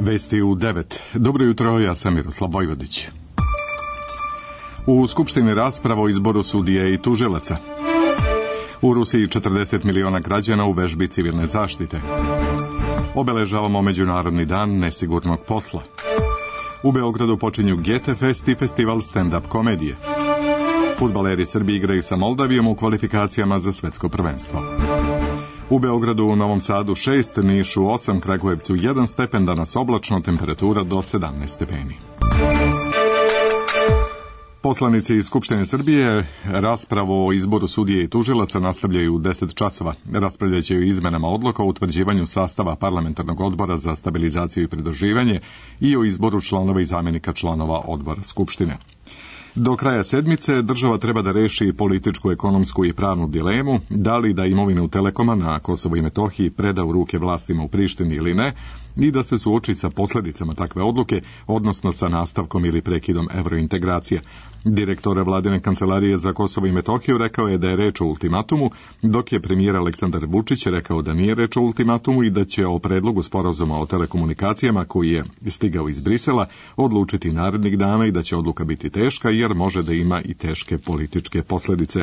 Vesti u 9. Dobro jutro, ja sam Miroslav Vojvodić. U Skupštini rasprava o izboru sudije i tužilaca. U Rusiji 40 miliona građana u vežbi civilne zaštite. Obeležavamo Međunarodni dan nesigurnog posla. U Beogradu počinju Gete Fest i festival stand-up komedije. Fudbaleri Srbije igraju sa Moldavijom u kvalifikacijama za svetsko prvenstvo. U Beogradu, u Novom Sadu 6, Nišu 8, Kragujevcu 1 stepen, danas oblačno, temperatura do 17 stepeni. Poslanici iz Skupštine Srbije raspravu o izboru sudije i tužilaca nastavljaju u 10 časova. Raspravljaće o izmenama odluka o utvrđivanju sastava parlamentarnog odbora za stabilizaciju i pridruživanje i o izboru članova i zamjenika članova odbora Skupštine. Do kraja sedmice država treba da reši političku, ekonomsku i pravnu dilemu, da li da imovinu Telekoma na Kosovo i Metohiji preda u ruke vlastima u Prištini ili ne, i da se suoči sa posljedicama takve odluke, odnosno sa nastavkom ili prekidom evrointegracije. Direktor Vladine kancelarije za Kosovo i Metohiju rekao je da je reč o ultimatumu, dok je premijer Aleksandar Vučić rekao da nije reč o ultimatumu i da će o predlogu sporazuma o telekomunikacijama koji je stigao iz Brisela odlučiti narednih dana i da će odluka biti teška jer može da ima i teške političke posljedice.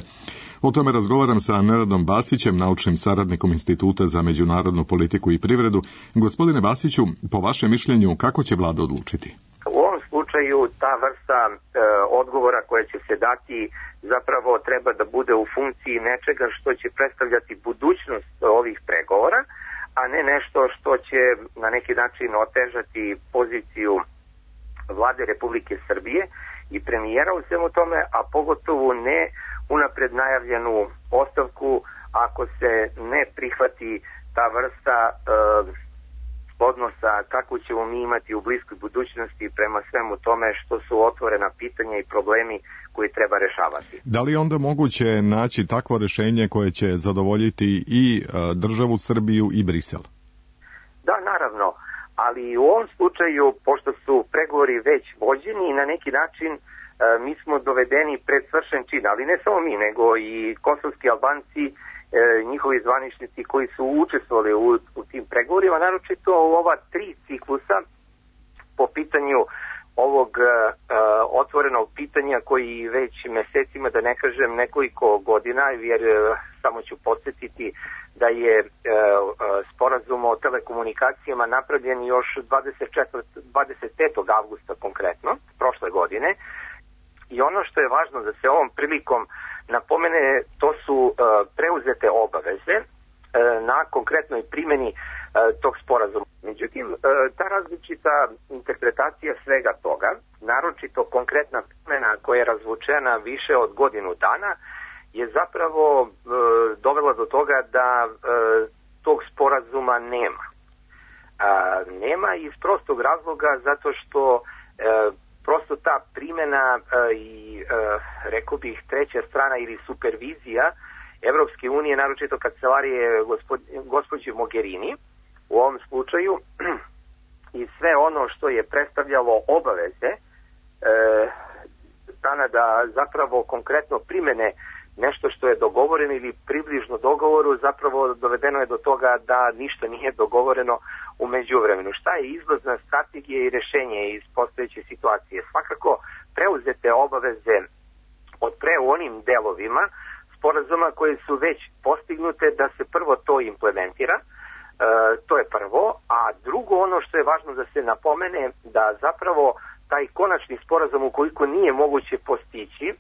O tome razgovaram sa Nenadom Basićem, naučnim saradnikom Instituta za međunarodnu politiku i privredu. Gospodine Basiću, po vašem mišljenju, kako će vlada odlučiti? U ovom slučaju ta vrsta odgovora koja će se dati zapravo treba da bude u funkciji nečega što će predstavljati budućnost ovih pregovora, a ne nešto što će na neki način otežati poziciju vlade Republike Srbije i premijera u svemu tome, a pogotovo ne unapred najavljenu ostavku ako se ne prihvati ta vrsta odnosa kako ćemo mi imati u bliskoj budućnosti prema svemu tome što su otvorena pitanja i problemi koji treba rešavati. Da li onda moguće naći takvo rešenje koje će zadovoljiti i državu Srbiju i Brisel? Da, naravno, ali u ovom slučaju, pošto su pregovori već vođeni i na neki način mi smo dovedeni pred svršen čin, ali ne samo mi, nego i kosovski Albanci, njihovi zvaničnici koji su učestvovali u tim pregovorima, naročito u ova 3 ciklusa po pitanju ovog otvorenog pitanja koji već mesecima, da ne kažem nekoliko godina, jer samo ću podsjetiti da je sporazum o telekomunikacijama napravljen još 25. avgusta konkretno, prošle godine. I ono što je važno da se ovom prilikom napomene, to su preuzete obaveze na konkretnoj primjeni tog sporazuma. Međutim, ta različita interpretacija svega toga, naročito konkretna primjena koja je razvučena više od godinu dana, je zapravo dovela do toga da tog sporazuma nema. Nema iz prostog razloga zato što prosto ta primjena i rekao bih treća strana ili supervizija Evropske unije, naročito kancelarije gospođe Mogherini u ovom slučaju, i sve ono što je predstavljalo obaveze strana da zapravo konkretno primene nešto što je dogovoreno ili približno dogovoru, zapravo dovedeno je do toga da ništa nije dogovoreno u međuvremenu. Šta je izlazna strategija i rešenje iz postojeće situacije? Svakako preuzete obaveze od pre u onim delovima sporazuma koje su već postignute da se prvo to implementira, to je prvo, a drugo ono što je važno da se napomene da zapravo taj konačni sporazum ukoliko nije moguće postići,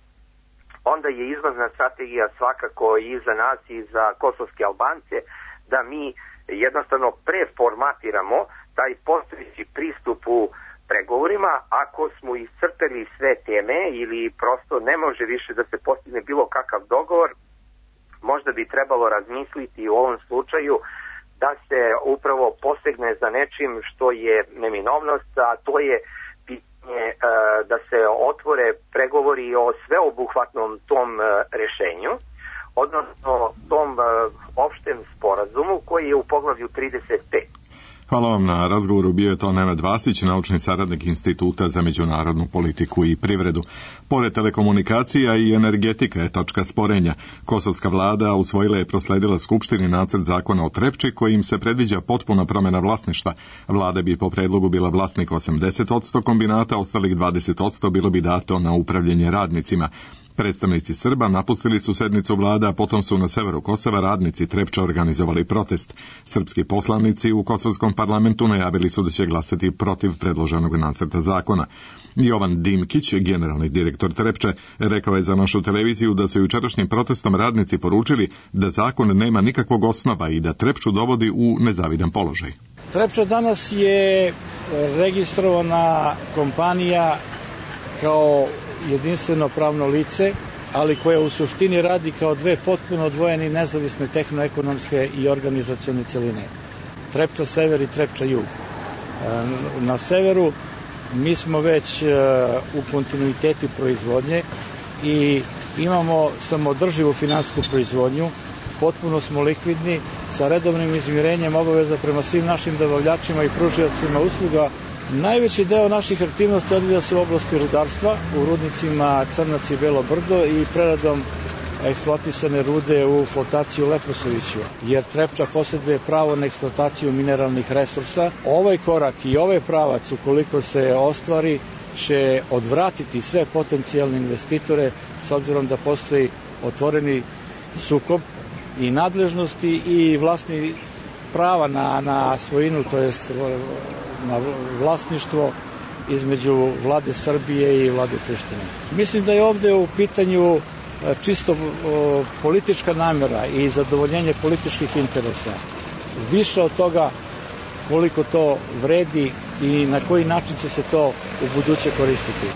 onda je izlazna strategija svakako i za nas i za kosovske Albance da mi jednostavno preformatiramo taj postojeći pristup u pregovorima. Ako smo iscrpeli sve teme ili prosto ne može više da se postigne bilo kakav dogovor, možda bi trebalo razmisliti u ovom slučaju da se upravo posegne za nečim što je neminovnost, a to je pitanje da se otvore pregovori o sveobuhvatnom tom rešenju, odnosno tom opštem sporazumu koji je u poglavlju 35. Hvala vam na razgovoru. Bio je to Nenad Vasić, naučni saradnik Instituta za međunarodnu politiku i privredu. Pored telekomunikacija i energetika je tačka sporenja. Kosovska vlada usvojila je prosledila Skupštini nacrt zakona o Trepči kojim se predviđa potpuna promjena vlasništva. Vlada bi po predlogu bila vlasnik 80% kombinata, ostalih 20% bilo bi dato na upravljanje radnicima. Predstavnici Srba napustili su sednicu vlada, a potom su na severu Kosova radnici Trepča organizovali protest. Srpski poslanici u kosovskom parlamentu najavili su da će glasati protiv predloženog nacrta zakona. Jovan Dimkić, generalni direktor Trepče, rekao je za našu televiziju da su jučerašnjim protestom radnici poručili da zakon nema nikakvog osnova i da Trepču dovodi u nezavidan položaj. Trepča danas je registrovana kompanija kao jedinstveno pravno lice, ali koja u suštini radi kao dve potpuno odvojene i nezavisne tehnoekonomske i organizacione celine. Trepča sever i Trepča jug. Na severu mi smo već u kontinuiteti proizvodnje i imamo samoodrživu finansijsku proizvodnju, potpuno smo likvidni, sa redovnim izmirenjem obaveza prema svim našim dobavljačima i pružiocima usluga. Najveći deo naših aktivnosti odvija se u oblasti rudarstva, u rudnicima Crnac i Belo Brdo i preradom eksploatisane rude u flotaciju Leposaviću, jer Trepča posjeduje pravo na eksploataciju mineralnih resursa. Ovaj korak i ovaj pravac, ukoliko se ostvari, će odvratiti sve potencijalne investitore, s obzirom da postoji otvoreni sukob i nadležnosti i vlasni prava na svojinu, to jest na vlasništvo između vlade Srbije i vlade Prištine. Mislim da je ovdje u pitanju čisto politička namjera i zadovoljenje političkih interesa. Više od toga koliko to vredi i na koji način će se to u buduće koristiti.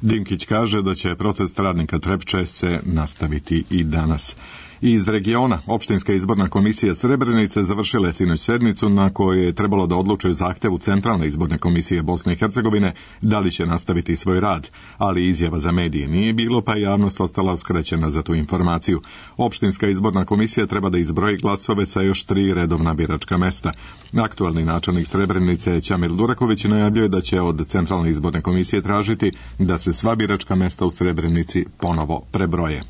Dimkić kaže da će protest radnika Trepče se nastaviti i danas. Iz regiona, opštinska izborna komisija Srebrenice završila je sinoć sednicu na kojoj je trebalo da odluče zahtevu Centralne izborne komisije Bosne i Hercegovine da li će nastaviti svoj rad, ali izjava za medije nije bilo, pa je javnost ostala uskraćena za tu informaciju. Opštinska izborna komisija treba da izbroji glasove sa još 3 redovna biračka mesta. Aktualni načelnik Srebrenice Ćamil Duraković najavljuje da će od Centralne izborne komisije tražiti da se sva biračka mesta u Srebrenici ponovo prebroje.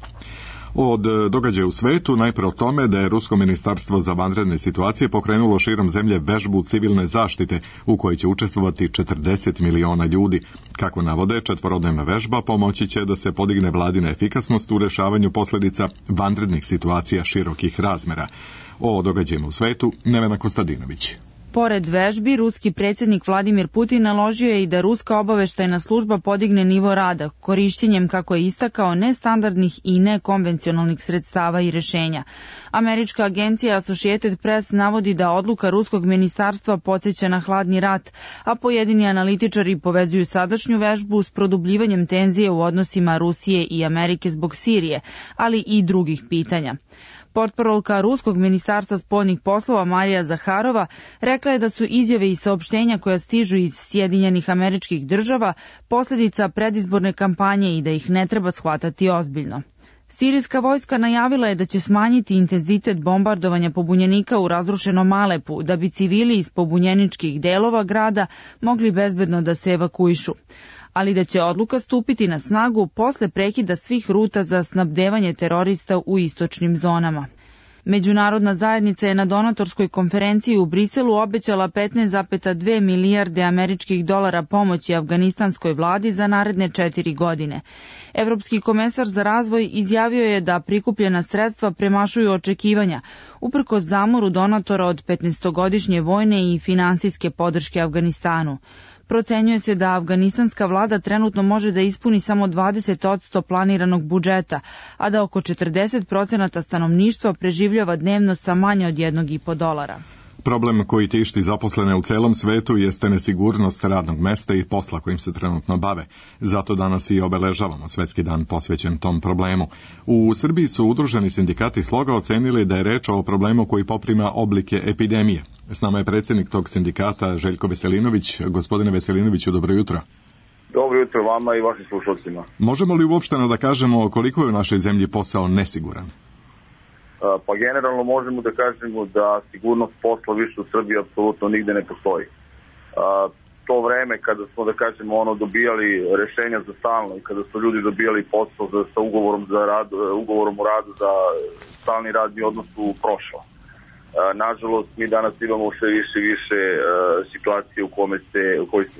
Od događaja u svetu najpre o tome da je Rusko ministarstvo za vanredne situacije pokrenulo širom zemlje vežbu civilne zaštite u kojoj će učestvovati 40 miliona ljudi. Kako navode, 4-dnevna vežba pomoći će da se podigne vladina efikasnost u rešavanju posljedica vanrednih situacija širokih razmera. O događajima u svetu Nevena Kostadinović. Pored vežbi, ruski predsjednik Vladimir Putin naložio je i da ruska obaveštajna služba podigne nivo rada, korišćenjem, kako je istakao, nestandardnih i nekonvencionalnih sredstava i rešenja. Američka agencija Associated Press navodi da odluka ruskog ministarstva podsjeća na hladni rat, a pojedini analitičari povezuju sadašnju vežbu s produbljivanjem tenzije u odnosima Rusije i Amerike zbog Sirije, ali i drugih pitanja. Portparolka Ruskog ministarstva spoljnih poslova Marija Zaharova rekla je da su izjave i saopštenja koja stižu iz Sjedinjenih Američkih Država posljedica predizborne kampanje i da ih ne treba shvatati ozbiljno. Sirijska vojska najavila je da će smanjiti intenzitet bombardovanja pobunjenika u razrušenom Alepu, da bi civili iz pobunjeničkih delova grada mogli bezbedno da se evakuišu, ali da će odluka stupiti na snagu posle prekida svih ruta za snabdevanje terorista u istočnim zonama. Međunarodna zajednica je na donatorskoj konferenciji u Briselu obećala 15,2 milijarde američkih dolara pomoći afganistanskoj vladi za naredne 4 godine. Evropski komesar za razvoj izjavio je da prikupljena sredstva premašuju očekivanja, uprkos zamoru donatora od 15-godišnje vojne i finansijske podrške Afganistanu. Procenjuje se da afganistanska vlada trenutno može da ispuni samo 20% planiranog budžeta, a da oko 40% stanovništva preživljava dnevno sa manje od $1,5. Problem koji tišti zaposlene u celom svetu jeste nesigurnost radnog mesta i posla kojim se trenutno bave. Zato danas i obeležavamo Svetski dan posvećen tom problemu. U Srbiji su udruženi sindikati Sloga ocenili da je reč o problemu koji poprima oblike epidemije. S nama je predsjednik tog sindikata Željko Veselinović. Gospodine Veselinoviću, dobro jutro. Dobro jutro vama i vašim slušalcima. Možemo li uopšteno da kažemo koliko je u našoj zemlji posao nesiguran? Pa generalno možemo da kažemo da sigurnost posla više u Srbiji apsolutno nigde ne postoji. To vreme kada smo, da kažemo, dobijali rešenja za stalno i kada su ljudi dobijali posao sa ugovorom o radu za stalni radni odnos u prošlo. Nažalost, mi danas imamo sve više situacije u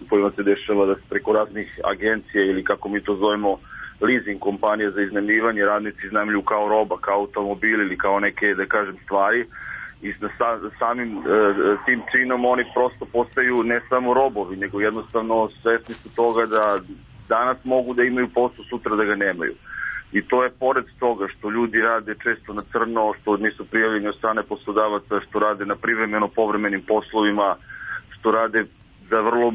kojima se dešava da se preko raznih agencija ili kako mi to zovemo leasing kompanije za iznajmljivanje radnici iznajmljuju kao roba, kao automobili ili kao neke, da kažem, stvari i samim tim činom oni prosto postaju ne samo robovi, nego jednostavno svesni su toga da danas mogu da imaju posao, sutra da ga nemaju. I to je pored toga što ljudi rade često na crno, što nisu prijavljeni od strane poslodavaca, što rade na privremeno povremenim poslovima, što rade za vrlo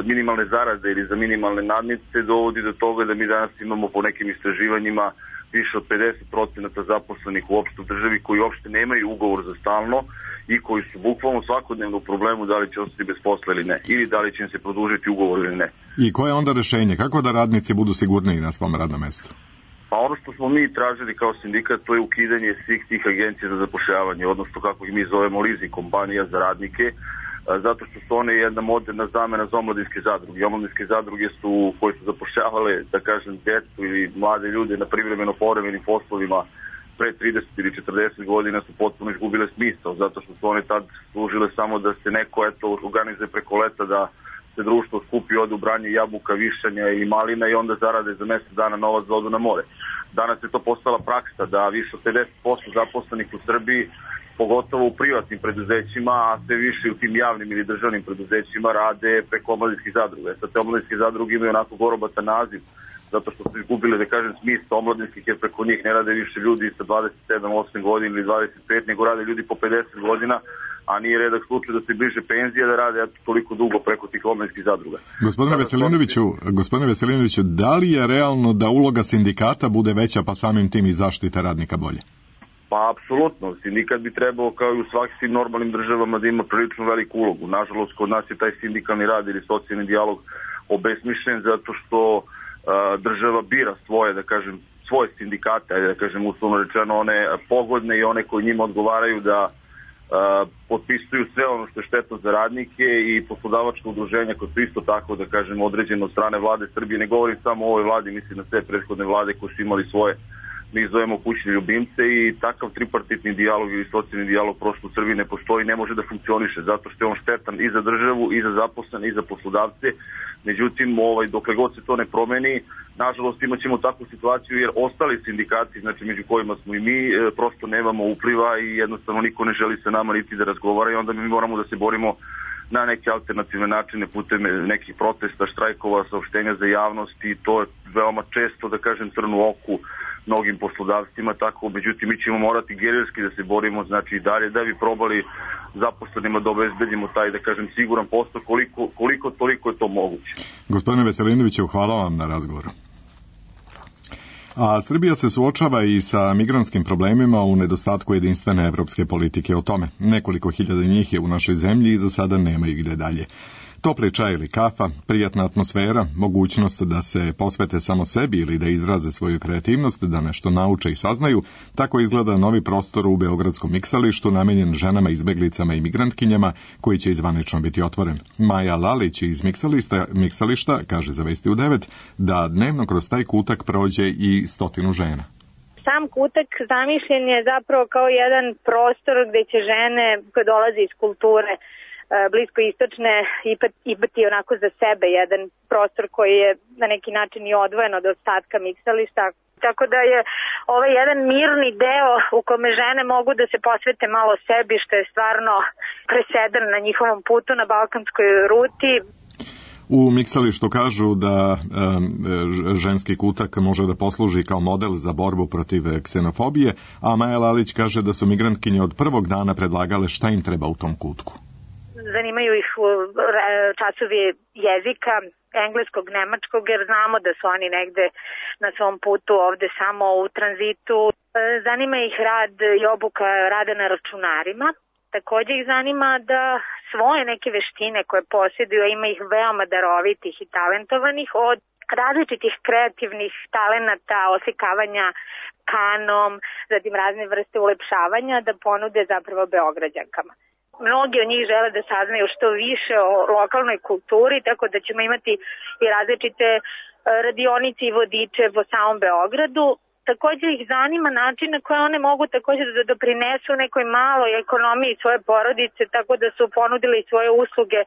minimalne zarade ili za minimalne nadnice, dovodi do toga da mi danas imamo po nekim istraživanjima više od 50% zaposlenih uopšte u državi koji uopšte nemaju ugovor za stalno i koji su bukvalno svakodnevno u problemu da li će ostati bez posla ili ne, ili da li će im se produžiti ugovor ili ne. I koje je onda rešenje? Kako da radnici budu sigurniji na svom radnom mestu? Pa ono što smo mi tražili kao sindikat, to je ukidanje svih tih agencija za zapošljavanje, odnosno kako ih mi zovemo leasing kompanija za radnike, zato što su one jedna moderna zamena za omladinske zadruge. Omladinske zadruge koje su zapošljavale, da kažem, djecu ili mlade ljude na privremeno povremenim poslovima pre 30 ili 40 godina su potpuno izgubile smisao, zato što su one tad služile samo da se neko organizuje preko leta da se društvo skupi, ode u branje jabuka, višanja ili malina i onda zarade za mjesec dana novac za odu na more. Danas je to postala praksa da više od 50% zaposlenih u Srbiji, pogotovo u privatnim preduzećima, a sve više u tim javnim ili državnim preduzećima rade preko omladinskih zadruga. Sad te omladinske zadruge imaju onako gorobatan naziv, zato što su izgubili, da kažem, smisao omladinskih, jer preko njih ne rade više ljudi sa 27, 8 godina ili 25, nego rade ljudi po 50 godina, a nije redak slučaj da se bliže penzije da rade toliko dugo preko tih omladinskih zadruga. Gospodine Veselinoviću, da li je realno da uloga sindikata bude veća pa samim tim i zaštita radnika bolje? Pa apsolutno, sindikat bi trebao kao i u svakim normalnim državama da ima prilično veliku ulogu. Nažalost, kod nas je taj sindikalni rad ili socijalni dijalog obesmišljen zato što država bira svoje sindikate, da kažem uslovno rečeno one pogodne i one koji njima odgovaraju da potpisuju sve ono što je štetno za radnike i poslodavačka udruženja koje su isto tako, da kažem, određeno od strane vlade Srbije. Ne govorim samo o ovoj vladi, mislim na sve prethodne vlade koje su imali svoje, mi zovemo kućne ljubimce, i takav tripartitni dijalog ili socijalni dijalog prosto u Srbiji ne postoji, ne može da funkcioniše zato što je on štetan i za državu i za zaposlene i za poslodavce. Međutim, dokle god se to ne promeni, nažalost imat ćemo takvu situaciju jer ostali sindikati, znači među kojima smo i mi, prosto nemamo upliva i jednostavno niko ne želi sa nama niti da razgovara i onda mi moramo da se borimo na neke alternativne načine putem nekih protesta, štrajkova, saopštenja za javnost, i to je veoma često, da kažem, crnu oku mnogim poslodavcima, tako, međutim mi ćemo morati gerilski da se borimo, znači i dalje da bi probali zaposlenima da obezbedimo taj, da kažem, siguran posao koliko toliko je to moguće. Gospodine Veselinoviću, hvala vam na razgovoru. A Srbija se suočava i sa migrantskim problemima u nedostatku jedinstvene evropske politike o tome. Nekoliko hiljada njih je u našoj zemlji i za sada nema ih gde dalje. Topli čaj ili kafa, prijatna atmosfera, mogućnost da se posvete samo sebi ili da izraze svoju kreativnost, da nešto nauče i saznaju, tako izgleda novi prostor u Beogradskom miksalištu namenjen ženama, izbeglicama i migrantkinjama, koji će izvanično biti otvoren. Maja Lalić iz miksališta kaže za Vesti u 9 da dnevno kroz taj kutak prođe i 100 žena. Sam kutak zamišljen je zapravo kao jedan prostor gde će žene koje dolaze iz kulture bliskoistočne imati onako za sebe jedan prostor koji je na neki način i odvojen od ostatka miksališta. Tako da je ovaj jedan mirni deo u kome žene mogu da se posvete malo sebi, što je stvarno presedan na njihovom putu na balkanskoj ruti. U miksalištu kažu da ženski kutak može da posluži kao model za borbu protiv ksenofobije, a Maja Lalić kaže da su migrantkinje od prvog dana predlagale šta im treba u tom kutku. Zanimaju ih časovi jezika, engleskog, nemačkog, jer znamo da su oni negde na svom putu ovde samo u tranzitu. Zanima ih rad i obuka rada na računarima. Takođe ih zanima da svoje neke veštine koje posjeduju, ima ih veoma darovitih i talentovanih, od različitih kreativnih talenata, oslikavanja kanom, zatim razne vrste ulepšavanja da ponude zapravo Beograđankama. Mnogi od njih žele da saznaju što više o lokalnoj kulturi, tako da ćemo imati i različite radionice i vodiče po samom Beogradu. Također ih zanima način na koje one mogu također da doprinesu nekoj maloj ekonomiji svoje porodice, tako da su ponudili svoje usluge.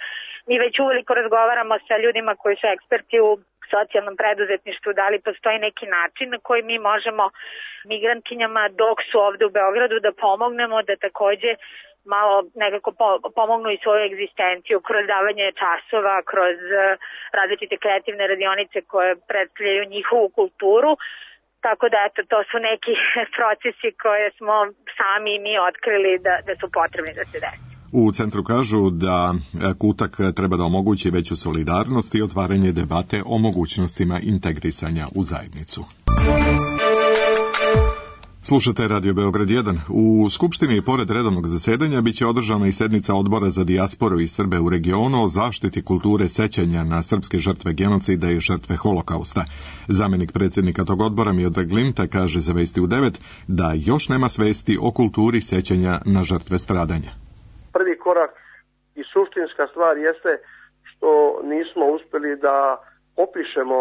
Mi već uveliko razgovaramo sa ljudima koji su eksperti u socijalnom preduzetništvu, da li postoji neki način na koji mi možemo migrantkinjama dok su ovde u Beogradu da pomognemo, da takođe malo nekako pomognu i svoju egzistenciju kroz davanje časova, kroz različite kreativne radionice koje predstavljaju njihovu kulturu. Tako da, eto, to su neki procesi koje smo sami mi otkrili da su potrebni da se desi. U centru kažu da Kutak treba da omogući veću solidarnost i otvaranje debate o mogućnostima integrisanja u zajednicu. Slušate Radio Beograd 1. U Skupštini, pored redovnog zasedanja, biće održana i sednica Odbora za dijasporu i Srbe u regionu o zaštiti kulture sećanja na srpske žrtve genocida i žrtve holokausta. Zamenik predsjednika tog odbora Miodrag Linta kaže za Vesti u 9 da još nema svesti o kulturi sećanja na žrtve stradanja. Prvi korak i suštinska stvar jeste što nismo uspjeli da opišemo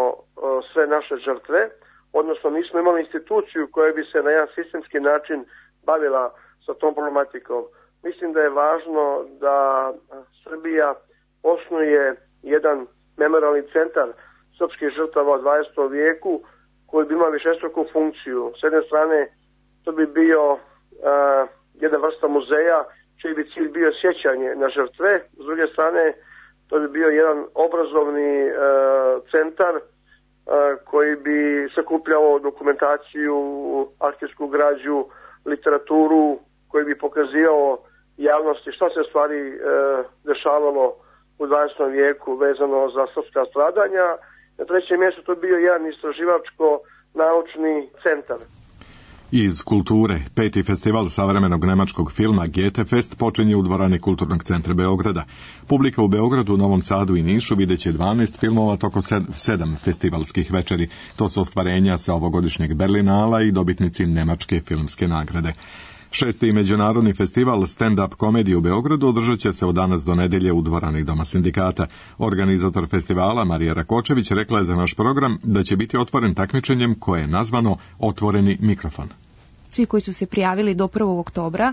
sve naše žrtve, odnosno nismo imali instituciju koja bi se na jedan sistemski način bavila sa tom problematikom. Mislim da je važno da Srbija osnuje jedan memorialni centar srpskih žrtava u 20. vijeku koji bi imao višestruku funkciju. S jedne strane to bi bio jedna vrsta muzeja čiji bi cilj bio sjećanje na žrtve, s druge strane to bi bio jedan obrazovni centar koji bi sakupljao dokumentaciju, arhivsku građu, literaturu, koji bi pokazivao javnosti šta se stvari dešavalo u 20. vijeku vezano za srpska stradanja. Na trećem mjestu to bio jedan istraživačko-naučni centar. Iz kulture, 5. festival savremenog nemačkog filma Goethe-fest počinje u dvorani Kulturnog centra Beograda. Publika u Beogradu, Novom Sadu i Nišu vidjet će 12 filmova toko 7 festivalskih večeri. To su ostvarenja sa ovogodišnjeg Berlinala i dobitnici Nemačke filmske nagrade. 6. međunarodni festival stand-up komedije u Beogradu održat će se od danas do nedelje u dvorani Doma sindikata. Organizator festivala Marija Rakočević rekla je za naš program da će biti otvoren takmičenjem koje je nazvano Otvoreni mikrofon. Svi koji su se prijavili do 1. oktobra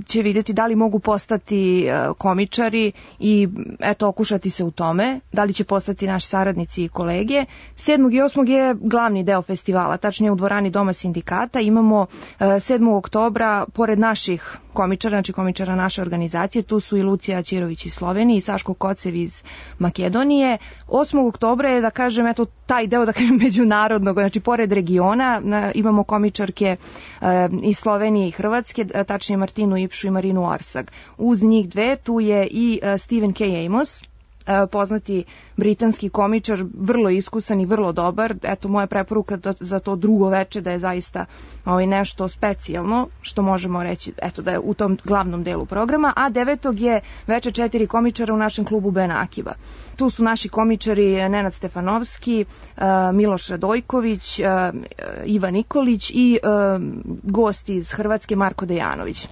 će vidjeti da li mogu postati komičari i eto okušati se u tome, da li će postati naši saradnici i kolege. 7. i 8. je glavni deo festivala, tačnije u dvorani Doma sindikata. Imamo 7. oktobra, pored naših komičara, znači komičara naše organizacije, tu su i Lucija Ćirović iz Slovenije i Saško Kocev iz Makedonije. 8. oktobra je, da kažem, eto taj deo, da kažem, međunarodnog, znači pored regiona imamo komičarke iz Slovenije i Hrvatske, tačnije Martinu Ipšu i Marinu Arsag. Uz njih dve tu je i Stephen K. Amos, poznati britanski komičar, vrlo iskusan i vrlo dobar. Eto, moja preporuka za to drugo veče da je zaista nešto specijalno, što možemo reći, eto, da je u tom glavnom delu programa. A 9. je veče 4 komičara u našem klubu Ben Akiba. Tu su naši komičari Nenad Stefanovski, Miloš Radojković, Ivan Nikolić i gost iz Hrvatske Marko Dejanović.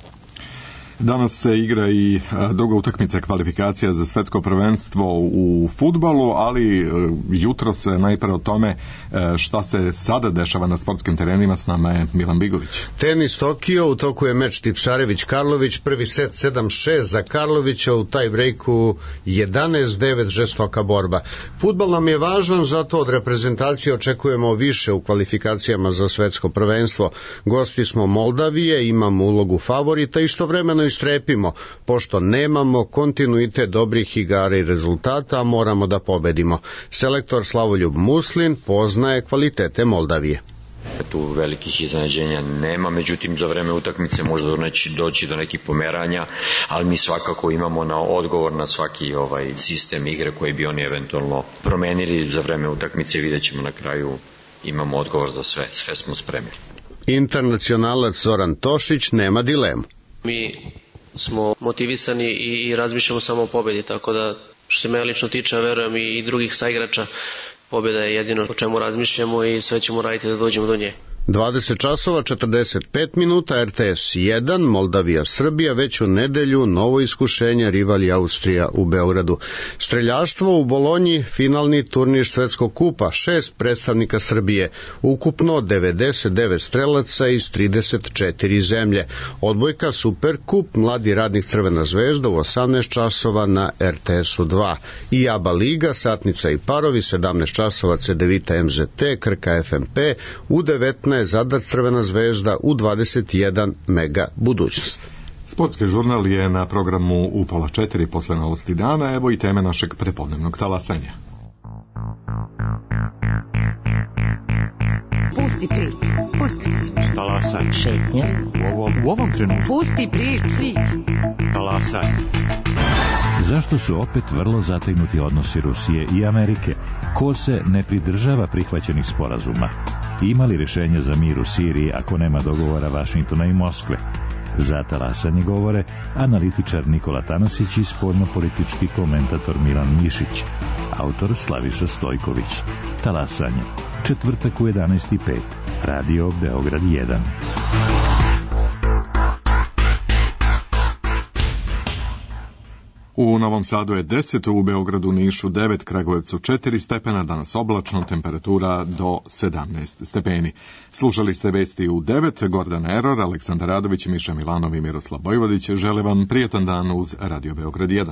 Danas se igra i druga utakmica kvalifikacija za svetsko prvenstvo u fudbalu, ali jutros najpre o tome šta se sada dešava na sportskim terenima. S nama je Milan Bigović. Tenis Tokio, u toku je meč Tipšarević-Karlović, prvi set 7-6 za Karlovića, u taj breaku 11-9, žestoka borba. Fudbal nam je važan, zato od reprezentacije očekujemo više u kvalifikacijama za svetsko prvenstvo. Gosti smo Moldavije, imamo ulogu favorita, istovremeno istrepimo, pošto nemamo kontinuitet dobrih igara i rezultata, moramo da pobedimo. Selektor Slavoljub Muslin poznaje kvalitete Moldavije. Tu velikih iznenađenja nema, međutim za vreme utakmice može doći do nekih pomeranja, ali mi svakako imamo na odgovor na svaki sistem igre koji bi oni eventualno promenili za vreme utakmice. Vidjet ćemo na kraju, imamo odgovor za sve smo spremili. Internacionalac Zoran Tošić nema dilemu. Mi smo motivisani i razmišljamo samo o pobedi, tako da što se mene lično tiče, verujem i drugih saigrača, Pobjeda je jedino o čemu razmišljamo i sve ćemo raditi da dođemo do nje. 20 časova 45 minuta, RTS 1, Moldavija Srbija, već u nedelju novo iskušenje, rival je Austrija u Beogradu. Streljaštvo u Bolonji, finalni turnir Svetskog kupa, 6 predstavnika Srbije, ukupno 99 strelaca iz 34 zemlje. Odbojka Superkup, mladi radnik Crvena zvezda u 18 časova na RTS-u 2. I ABA liga, satnica i parovi, 17 časova Cedevita MZT, Krka FMP, u 19 Zadar Crvena zvezda, u 21 Mega budućnost. Sportski žurnal je na programu u 3:30 posle novosti dana, evo i teme našeg prepodnevnog talasanja. Pusti priču, pusti priču. Talasanje. Šetnja. U ovom trenutku. Pusti priču. Talasanje. Zašto su opet vrlo zategnuti odnosi Rusije i Amerike? Ko se ne pridržava prihvaćenih sporazuma? Ima li rješenje za mir u Siriji ako nema dogovora Vašingtona i Moskve? Za talasanje govore analitičar Nikola Tanasić i spoljnopolitički komentator Milan Mišić, autor Slaviša Stojković. Talasanje, četvrtak u 11:05, Radio Beograd 1. U Novom Sadu je 10, u Beogradu, Nišu 9, Kragujevcu 4 stepena, danas oblačno, temperatura do 17 stepeni. Slušali ste vesti u 9, Gordan Eror, Aleksandar Radović, Miša Milanov i Miroslav Bojvodić žele vam prijetan dan uz Radio Beograd 1.